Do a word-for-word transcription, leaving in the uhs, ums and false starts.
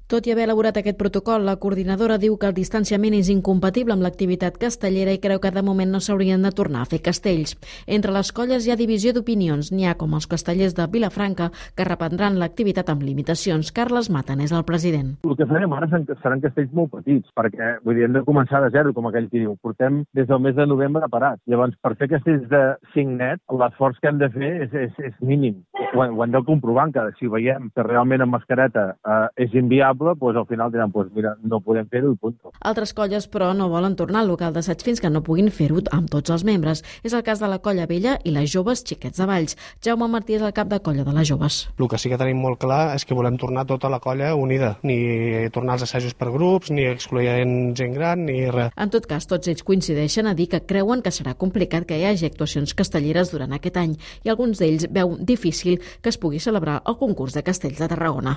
Tot i haver elaborat aquest protocol, la coordinadora diu que el distanciament és incompatible amb l'activitat castellera i creu que de moment no s'haurien de tornar a fer castells. Entre les colles hi ha divisió d'opinions. N'hi ha com els castellers de Vilafranca, que reprendran l'activitat amb limitacions. Carles Maten és el president. El que farem ara seran castells molt petits, perquè vull dir, hem de començar de zero, com aquell que diu. Portem des del mes de novembre parats. Llavors, per fer castells de cinc net, l'esforç que hem de fer és, és, és mínim. Ho, ho hem de comprovar, que si veiem que realment amb mascareta eh, és inviable, doncs al final diran, doncs mira, no podem fer-ho i punt. Altres colles, però, no volen tornar al local d'assaig fins que no puguin fer-ho amb tots els membres. És el cas de la Colla Vella i les Joves Xiquets de Valls. Jaume Martí és el cap de colla de les Joves. El que sí que tenim molt clar és que volem tornar tota la colla unida. Ni tornar als assajos per grups, ni excloent gent gran, ni res. En tot cas, tots ells coincideixen a dir que creuen que serà complicat que hi hagi actuacions castelleres durant aquest any i alguns d'ells veuen difícil que es pugui celebrar el concurs de castells de Tarragona.